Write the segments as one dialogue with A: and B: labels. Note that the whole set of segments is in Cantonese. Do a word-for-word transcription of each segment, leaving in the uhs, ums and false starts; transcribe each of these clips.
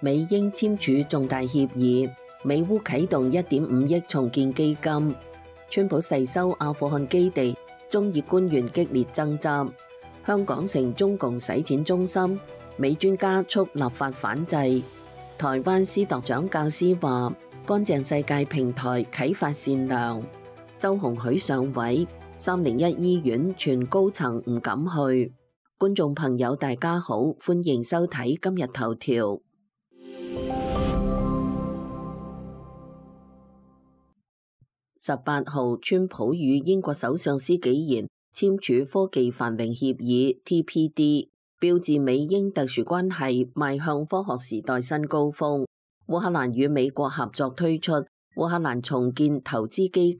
A: 美英簽署重大協議，美烏啟動一點五億重建基金。川普誓收阿富汗基地，中以官員激烈爭執。香港成中共洗錢中心，美專家促立法反制。台灣司鐸長教師話：乾淨世界平台啟發善良。周鴻許上位，三零一醫院全高層唔敢去。觀眾朋友大家好，歡迎收睇今日頭條。十八號，川普與英國首相施紀賢簽署科技繁榮協議 T P D， 標誌美英特殊關係邁向科學時代新高峰。烏克蘭與美國合作推出烏克蘭重建投資基金，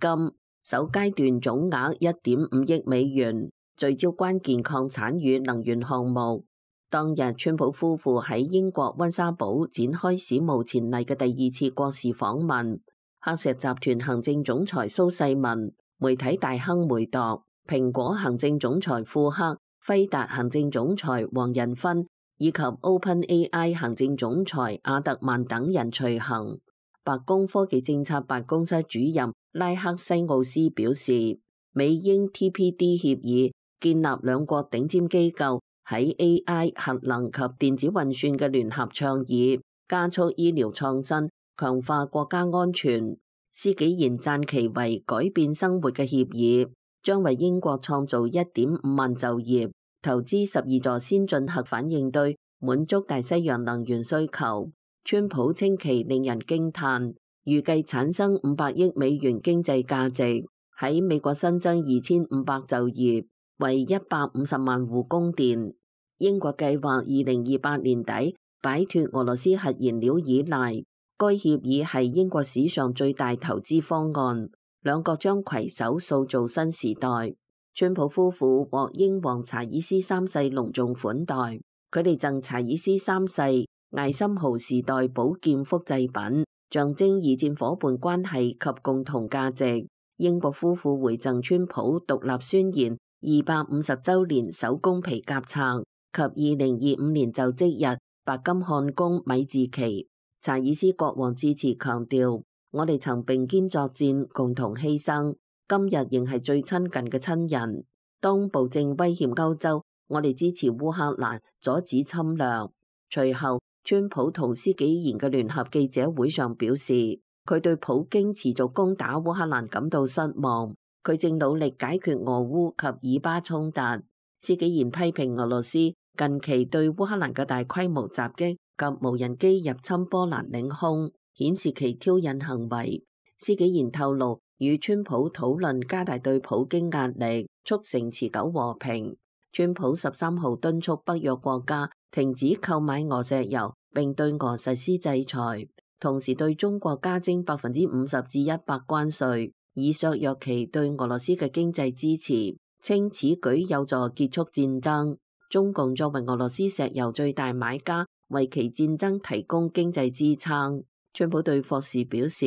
A: 首階段總額一點五億美元，聚焦關鍵礦產與能源項目。當日，川普夫婦喺英國溫莎堡展開史無前例嘅第二次國事訪問。黑石集團行政總裁蘇世民、媒體大亨梅鐸、蘋果行政總裁庫克、輝達行政總裁黃仁勳以及 OpenAI 行政總裁阿特曼等人隨行。白宮科技政策辦公室主任拉克西奧斯表示，美英 T P D 協議建立兩國頂尖機構喺 A I、核能及電子運算嘅聯合倡議，加速醫療創新，強化國家安全。施紀賢讚其為改變生活嘅協議，將為英國創造一點五萬就業，投資十二座先進核反應堆，滿足大西洋能源需求。川普稱其令人驚嘆，預計產生五百億美元經濟價值，喺美國新增二千五百就業，為一百五十萬戶供電。英國計劃二零二八年底擺脫俄羅斯核燃料依賴。該協議係英國史上最大投資方案，兩國將攜手塑造新時代。川普夫婦獲英皇查爾斯三世隆重款待，佢哋贈查爾斯三世艾森豪時代寶劍複製品，象徵二戰夥伴關係及共同價值。英國夫婦回贈川普獨立宣言二百五十週年手工皮夾冊及二零二五年就職日白金漢宮米字旗。查爾斯國王致辭強調，我哋曾並肩作戰，共同犧牲，今日仍係最親近嘅親人。當暴政威脅歐洲，我哋支持烏克蘭，阻止侵略。隨後，川普同施紀賢嘅聯合記者會上表示，佢對普京持續攻打烏克蘭感到失望，佢正努力解決俄烏及以巴衝突。施紀賢批評俄羅斯近期對烏克蘭嘅大規模襲擊及無人機入侵波蘭領空，顯示其挑釁行為。施紀賢透露，與川普討論加大對普京壓力，促成持久和平。川普十三號敦促北約國家停止購買俄石油，並對俄實施制裁，同時對中國加徵百分之五十至一百關稅，以削弱其對俄羅斯嘅經濟支持，稱此舉有助結束戰爭。中共作為俄羅斯石油最大買家，為其戰爭提供經濟支撐。川普對霍士表示，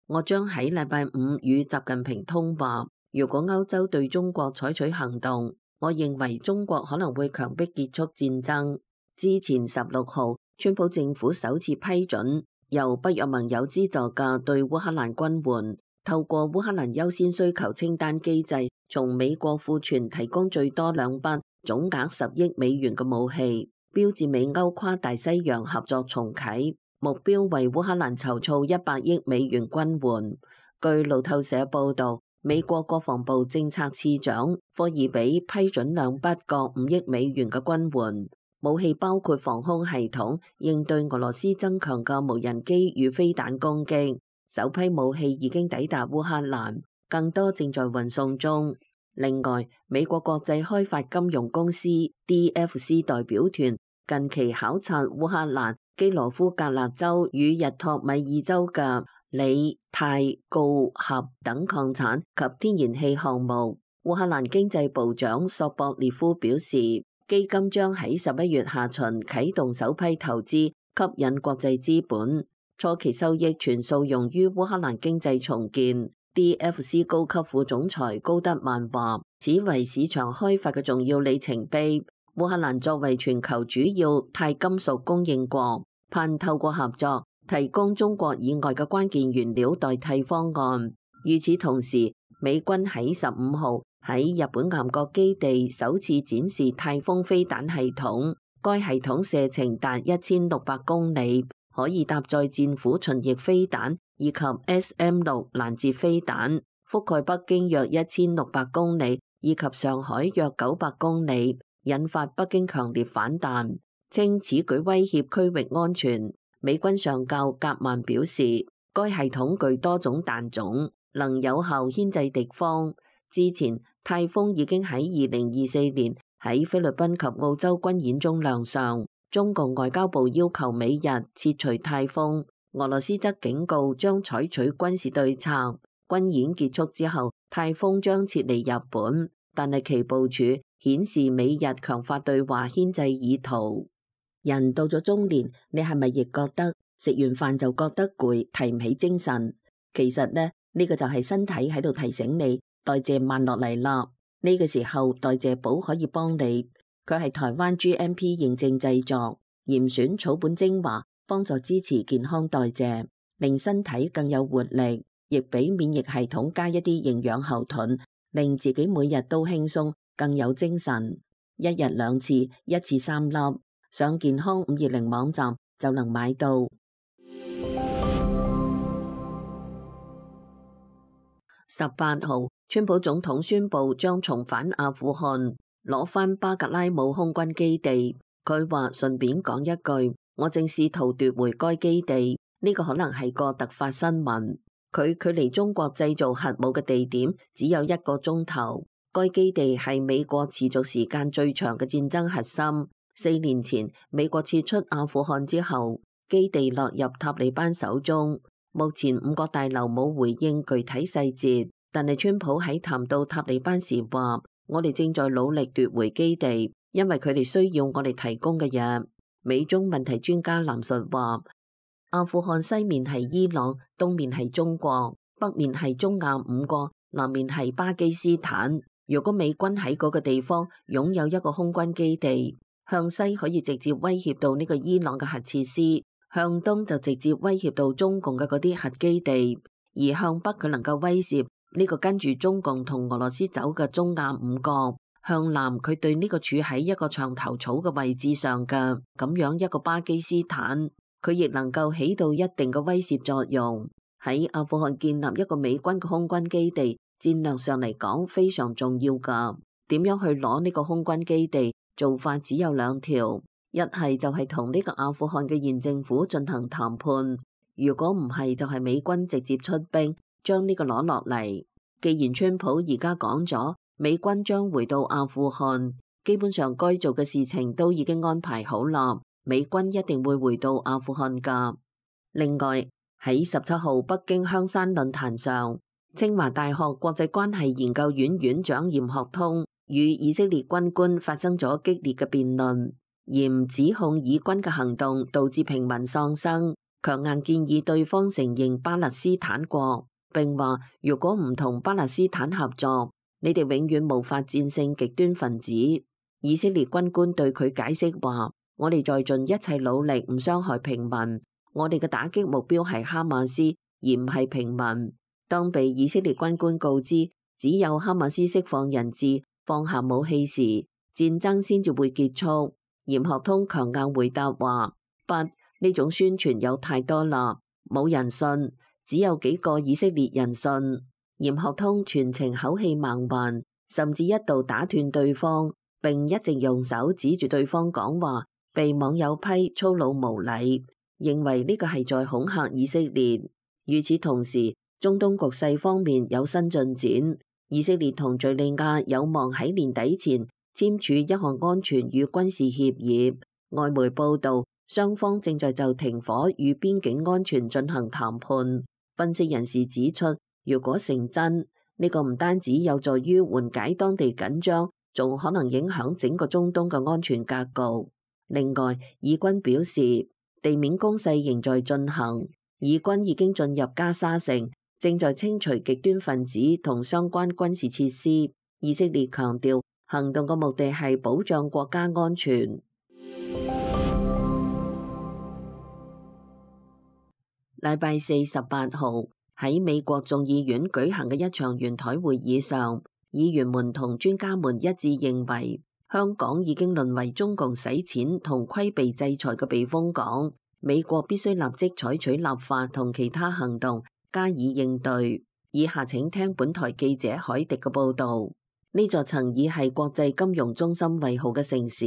A: 我將喺禮拜五與習近平通話，如果歐洲對中國採取行動，我認為中國可能會強迫結束戰爭。之前十六號，川普政府首次批准由北約盟友資助嘅對烏克蘭軍援，透過烏克蘭優先需求清單機制，從美國庫存提供最多兩筆總額十億美元嘅武器，標誌美歐跨大西洋合作重啟，目標為烏克蘭籌措一百億美元軍援。據路透社報道，美國國防部政策次長科爾比批准兩筆各五億美元嘅軍援，武器包括防空系統，應對俄羅斯增強嘅無人機與飛彈攻擊。首批武器已經抵達烏克蘭，更多正在運送中。另外，美國國際開發金融公司 D F C 代表團近期考察烏克蘭基羅夫格勒州與日托米爾州嘅鋰、鈦、鋯、鈉等礦產及天然氣項目。烏克蘭經濟部長索博列夫表示，基金將喺十一月下旬啟動首批投資，吸引國際資本，初期收益全數用於烏克蘭經濟重建。D F C 高級副總裁高德曼話，此為市場開發嘅重要里程碑。烏克蘭作為全球主要鈦金屬供應國，盼透過合作提供中國以外嘅關鍵原料代替方案。與此同時，美軍喺十五號喺日本岩國基地首次展示泰豐飛彈系統，該系統射程達一千六百公里，可以搭載戰斧巡弋飛彈以及 S M 六攔截飛彈，覆蓋北京約一千六百公里以及上海約九百公里，引發北京強烈反彈，稱此舉威脅區域安全。美軍上校格曼表示，該系統具多種彈種，能有效牽制敵方。之前泰豐已經喺二零二四年喺菲律賓及澳洲軍演中亮相，中共外交部要求美日撤除泰豐，俄羅斯則警告將採取軍事對策。軍演結束之後，泰豐將撤離日本，但係其部署顯示美日強化對話牽制意圖。人到咗中年，你係咪亦覺得食完飯就覺得攰，提唔起精神？其實呢，呢個就係身體喺度提醒你代謝慢落嚟啦。呢個時候代謝寶可以幫你，佢係台灣 G M P 認證製作，嚴選草本精華，幫助支持健康代謝，令身體更有活力，亦俾免疫系統加一啲營養後盾，令自己每日都輕鬆，更有精神。一日兩次，一次三粒，上健康五二零網站就能買到。十八號，川普總統宣布將重返阿富汗，攞返巴格拉姆空軍基地。佢話順便講一句，我正試圖奪回該基地，呢個可能係個突發新聞。佢距離中國製造核武嘅地點只有一個鐘頭。該基地係美國持續時間最長嘅戰爭核心。四年前美國撤出阿富汗之後，基地落入塔利班手中。目前五角大樓冇回應具體細節，但係川普喺談到塔利班時話：我哋正在努力奪回基地，因為佢哋需要我哋提供嘅嘢。美中問題專家藍述話：阿富汗西面係伊朗，東面係中國，北面係中亞五國，南面係巴基斯坦。如果美軍喺嗰個地方擁有一個空軍基地，向西可以直接威脅到呢個伊朗嘅核設施，向東就直接威脅到中共嘅嗰啲核基地，而向北佢能夠威脅呢個跟住中共同俄羅斯走嘅中亞五國，向南佢對呢個處喺一個牆頭草嘅位置上嘅咁樣一個巴基斯坦，佢亦能夠起到一定嘅威懾作用。喺阿富汗建立一個美軍嘅空軍基地，戰略上嚟講非常重要噶。點樣去攞呢個空軍基地？做法只有兩條，一係就係同呢個阿富汗嘅現政府進行談判，如果唔係就係美軍直接出兵將呢個攞落嚟。既然川普而家講咗美軍將回到阿富汗，基本上該做嘅事情都已經安排好啦，美軍一定會回到阿富汗噶。另外喺十七號北京香山論壇上，清華大學國際關係研究院院長嚴學通與以色列軍官發生咗激烈嘅辯論，嚴指控以軍嘅行動導致平民喪生，強硬建議對方承認巴勒斯坦國，並話如果唔同巴勒斯坦合作，你哋永遠無法戰勝極端分子。以色列軍官對佢解釋話：我哋在盡一切努力唔傷害平民，我哋嘅打擊目標係哈馬斯而唔係平民。當被以色列軍官告知只有哈馬斯釋放人質，放下武器時，戰爭先至會結束。嚴學通強硬回答話：不，呢種宣傳有太多啦，冇人信，只有幾個以色列人信。嚴學通全程口氣猛橫，甚至一度打斷對方，並一直用手指住對方講話，被網友批粗魯無禮，認為呢個係在恐嚇以色列。與此同時，中東局勢方面有新進展。以色列同敘利亞有望喺年底前簽署一項安全與軍事協議。外媒報道，雙方正在就停火與邊境安全進行談判。分析人士指出，如果成真，呢個唔單止有助於緩解當地緊張，仲可能影響整個中東嘅安全格局。另外，以軍表示地面攻勢仍在進行，以軍已經進入加沙城，正在清除極端分子同相關軍事設施。以色列強調，行動嘅目的係保障國家安全。禮拜四十八號喺美國眾議院舉行嘅一場圓台會議上，議員們同專家們一致認為，香港已經淪為中共洗錢同規避制裁嘅避風港，美國必須立即採取立法同其他行動加以應對。以下請聽本台記者海迪嘅報導。呢座曾以係國際金融中心為號嘅城市，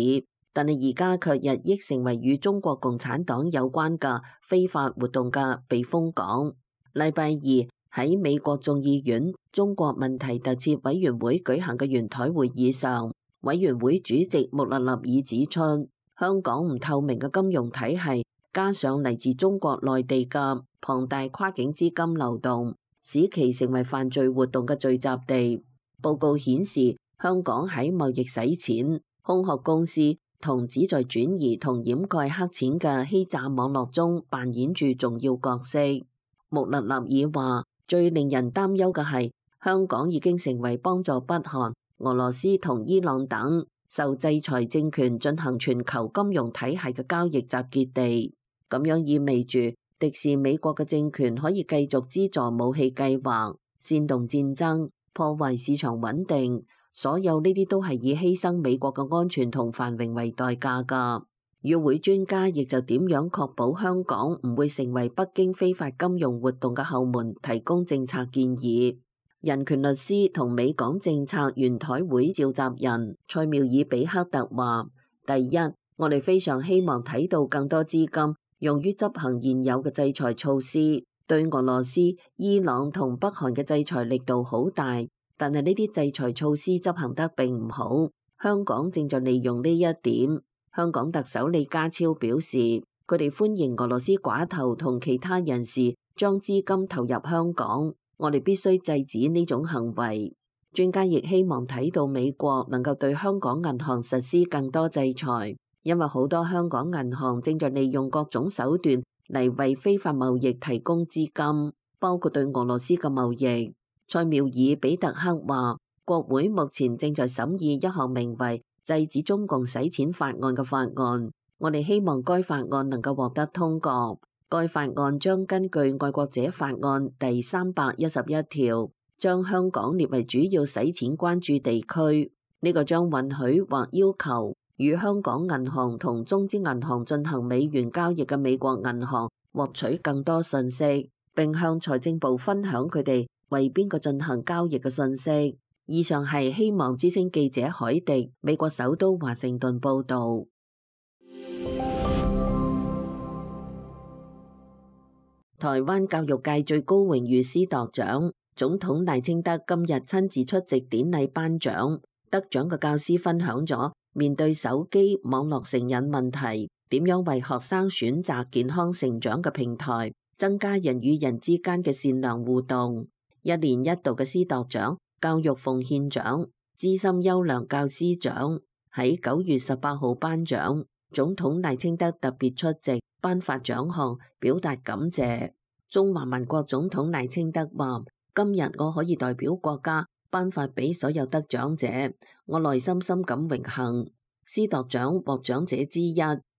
A: 但係而家卻日益成為與中國共產黨有關嘅非法活動嘅避風港。禮拜二喺美國眾議院中國問題特設委員會舉行嘅圓台會議上，委員會主席穆勒納爾指出，香港唔透明嘅金融體系，加上嚟自中國內地嘅龐大跨境資金流動，使其成為犯罪活動嘅聚集地。報告顯示，香港喺貿易洗錢、空殼公司同旨在轉移同掩蓋黑錢嘅欺詐網絡中扮演住重要角色。穆勒納爾話，最令人擔憂嘅係，香港已經成為幫助北韓、俄羅斯同伊朗等受制裁政權進行全球金融體系嘅交易集結地。咁樣意味住，敵視美國嘅政權可以繼續資助武器計劃、煽動戰爭、破壞市場穩定，所有呢啲都係以犧牲美國嘅安全同繁榮為代價㗎。與會專家亦就點樣確保香港唔會成為北京非法金融活動嘅後門，提供政策建議。人權律師同美港政策圓台會召集人塞繆爾比克特話：第一，我哋非常希望睇到更多資金用於執行現有嘅制裁措施。對俄羅斯、伊朗同北韓嘅制裁力度好大，但係呢啲制裁措施執行得並唔好。香港正在利用呢一點。香港特首李家超表示，佢哋歡迎俄羅斯寡頭同其他人士將資金投入香港，我哋必須制止呢種行為。專家亦希望睇到美國能夠對香港銀行實施更多制裁，因為好多香港銀行正在利用各種手段嚟為非法貿易提供資金，包括對俄羅斯嘅貿易。塞繆爾比特克話，國會目前正在審議一項名為制止中共洗錢法案嘅法案，我哋希望該法案能夠獲得通過。該法案將根據愛國者法案第三百一十一條，將香港列為主要洗錢關注地區。呢個將允許或要求與香港銀行同中資銀行進行美元交易嘅美國銀行獲取更多信息，並向財政部分享佢哋為邊個進行交易嘅信息。以上係希望之聲記者海迪，美國首都華盛頓報道。台灣教育界最高榮譽師鐸獎，總統賴清德今日親自出席典禮頒獎。得獎嘅教師分享咗面對手機網絡成癮問題，點樣為學生選擇健康成長嘅平台，增加人與人之間嘅善良互動。一年一度嘅師鐸獎、教育奉獻獎、資深優良教師獎喺九月十八號頒獎，總統賴清德特別出席頒發獎項，表達感謝。中華民國總統賴清德話：今日我可以代表國家頒發俾所有得獎者，我內心深感榮幸。師鐸獎獲獎者之一，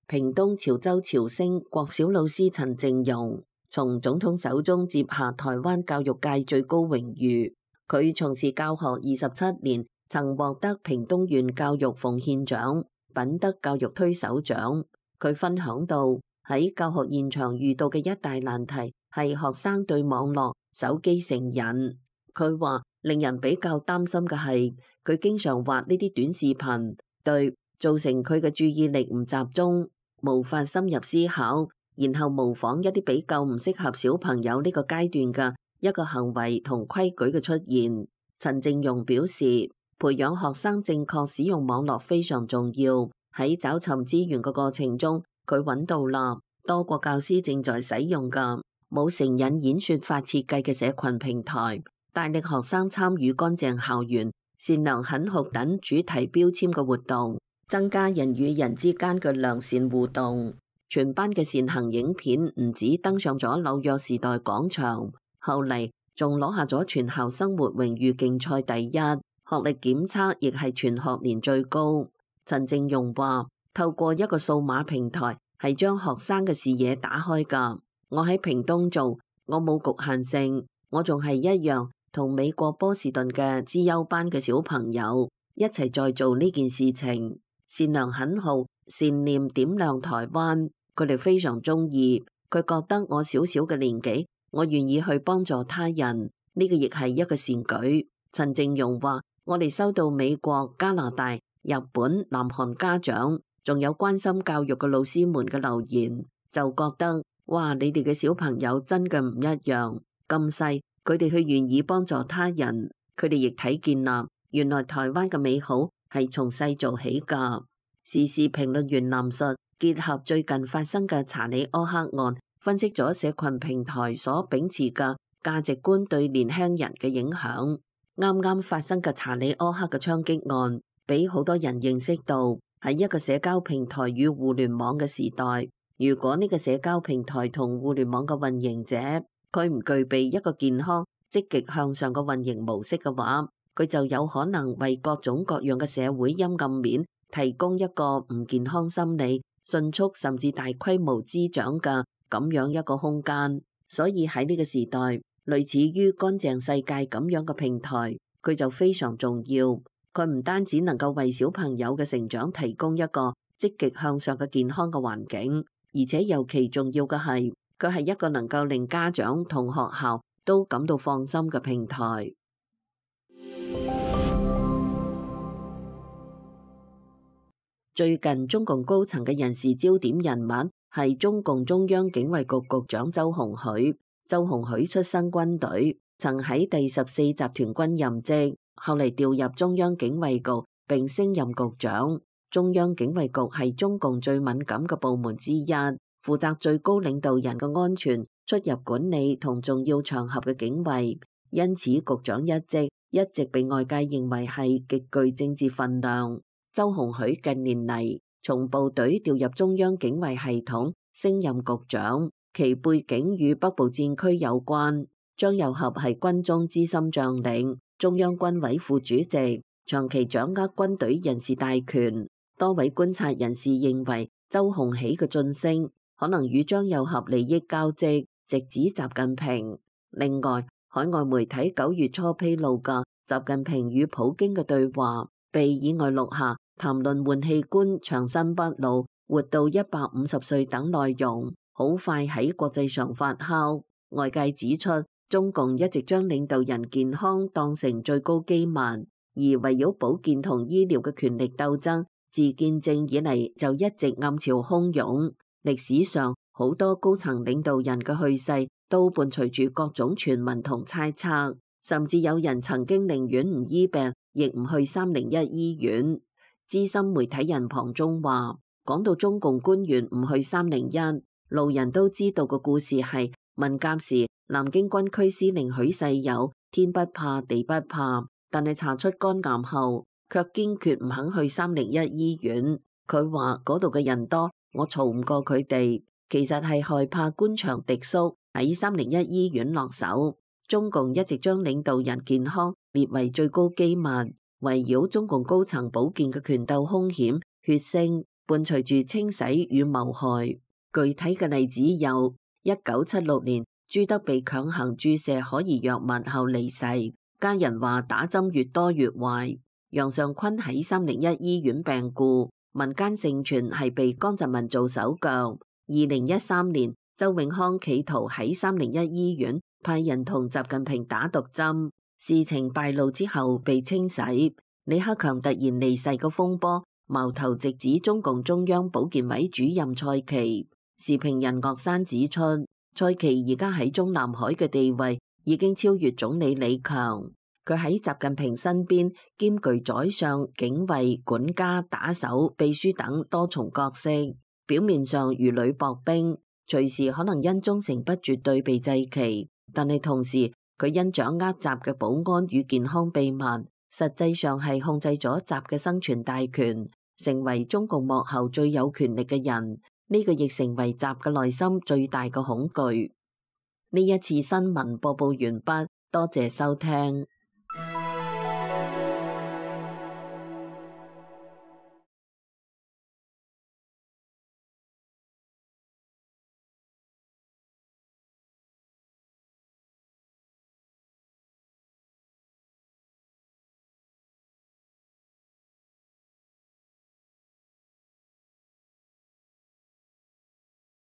A: 屏東潮州潮聲國小老師陳靜蓉，從總統手中接下台灣教育界最高榮譽。佢從事教學二十七年，曾獲得屏東縣教育奉獻獎、品德教育推手獎。佢分享到喺教學現場遇到嘅一大難題係學生對網絡、手機成癮。佢話令人比較擔心嘅係佢經常畫呢啲短視頻，對造成佢嘅注意力唔集中，無法深入思考，然後模仿一啲比較唔適合小朋友呢個階段嘅一個行為同規矩嘅出現。陳靜蓉表示，培養學生正確使用網絡非常重要。喺找尋資源嘅過程中，佢揾到啦多個教師正在使用嘅冇成癮演說法設計嘅社群平台，大力學生參與乾淨校園、善良肯學等主題標籤嘅活動，增加人與人之間嘅良善互動。全班嘅善行影片唔止登上咗紐約時代廣場，後嚟仲攞下咗全校生活榮譽競賽第一，學歷檢測亦係全學年最高。陳靜蓉話：透過一個數碼平台係將學生嘅視野打開㗎，我喺屏東做，我冇局限性，我仲係一樣同美國波士頓嘅資優班嘅小朋友一齊在做呢件事情。善良懇好，善念點亮台灣，佢哋非常中意。佢覺得我小小嘅年紀，我願意去幫助他人，呢個亦係一個善舉。陳靜蓉話：我哋收到美國、加拿大、日本、南韓家長，仲有關心教育嘅老師們嘅留言，就覺得哇，你哋嘅小朋友真嘅唔一樣，咁細佢哋去願意幫助他人，佢哋亦睇見啦，原來台灣嘅美好係從細做起㗎。時事評論員藍述結合最近發生嘅查理柯克案，分析咗社群平台所秉持嘅價值觀對年輕人嘅影響。啱啱發生嘅查理柯克嘅槍擊案，俾好多人認識到喺一個社交平台與互聯網嘅時代，如果呢個社交平台同互聯網嘅運營者佢唔具備一個健康、積極向上嘅運營模式嘅話，佢就有可能為各種各樣嘅社會陰暗面提供一個唔健康心理、迅速甚至大規模滋長嘅咁樣一個空間。所以喺呢個時代，類似於乾淨世界咁樣嘅平台，佢就非常重要。佢唔單止能夠為小朋友嘅成長提供一個積極向上嘅健康嘅環境，而且尤其重要嘅係，佢係一個能夠令家長同學校都感到放心嘅平台。最近中共高層嘅人事焦點人物係中共中央警衛局局長周鴻許。周鴻許出身軍隊，曾喺第十四集團軍任職，後嚟調入中央警衛局並升任局長。中央警衛局係中共最敏感嘅部門之一，負責最高領導人嘅安全、出入管理同重要場合嘅警衛，因此局長一職一直被外界認為係極具政治分量。周鴻許近年嚟從部隊調入中央警衛系統，升任局長，其背景與北部戰區有關。張又俠係軍中資深將領，中央軍委副主席，長期掌握軍隊人事大權。多位觀察人士認為，周鴻許嘅晉升可能與張又俠利益交織，直指習近平。另外，海外媒體九月初披露嘅習近平與普京嘅對話，被意外錄下，談論換器官、長生不老、活到一百五十歲等內容，好快喺國際上發酵。外界指出，中共一直將領導人健康當成最高機密，而圍繞保健同醫療嘅權力鬥爭，自建政以嚟就一直暗潮洶湧。歷史上好多高層領導人嘅去世，都伴隨住各種傳聞同猜測，甚至有人曾經寧願唔醫病，亦唔去三零一醫院。資深媒體人龐中話，講到中共官員唔去三零一，路人都知道個故事係文革時南京軍區司令許世友天不怕地不怕，但係查出肝癌後，卻堅決唔肯去三零一醫院。佢話嗰度嘅人多，我嘈唔過佢哋，其實係害怕官場敵縮喺三零一醫院落手。中共一直將領導人健康列為最高機密。圍繞中共高層保健嘅權鬥兇險、血腥，伴隨住清洗與謀害。具體嘅例子有：一九七六年，朱德被強行注射可疑藥物後離世，家人話打針越多越壞。楊尚昆喺三零一醫院病故，民間盛傳係被江澤民做手腳。二零一三年，周永康企圖喺三零一醫院派人同習近平打毒針。事情敗露之後被清洗，李克強突然離世嘅風波，矛頭直指中共中央保健委主任蔡奇。時評人岳山指出，蔡奇而家喺中南海嘅地位已經超越總理李強，佢喺習近平身邊兼具宰相、警衛、管家、打手、秘書等多重角色，表面上如履薄冰，隨時可能因忠誠不絕對被祭旗，但係同時佢因掌握習嘅保安與健康秘密，實際上係控制咗習嘅生存大權，成為中共幕後最有權力嘅人。呢、這個亦成為習嘅內心最大嘅恐懼。呢一次新聞播報完畢，多謝收聽。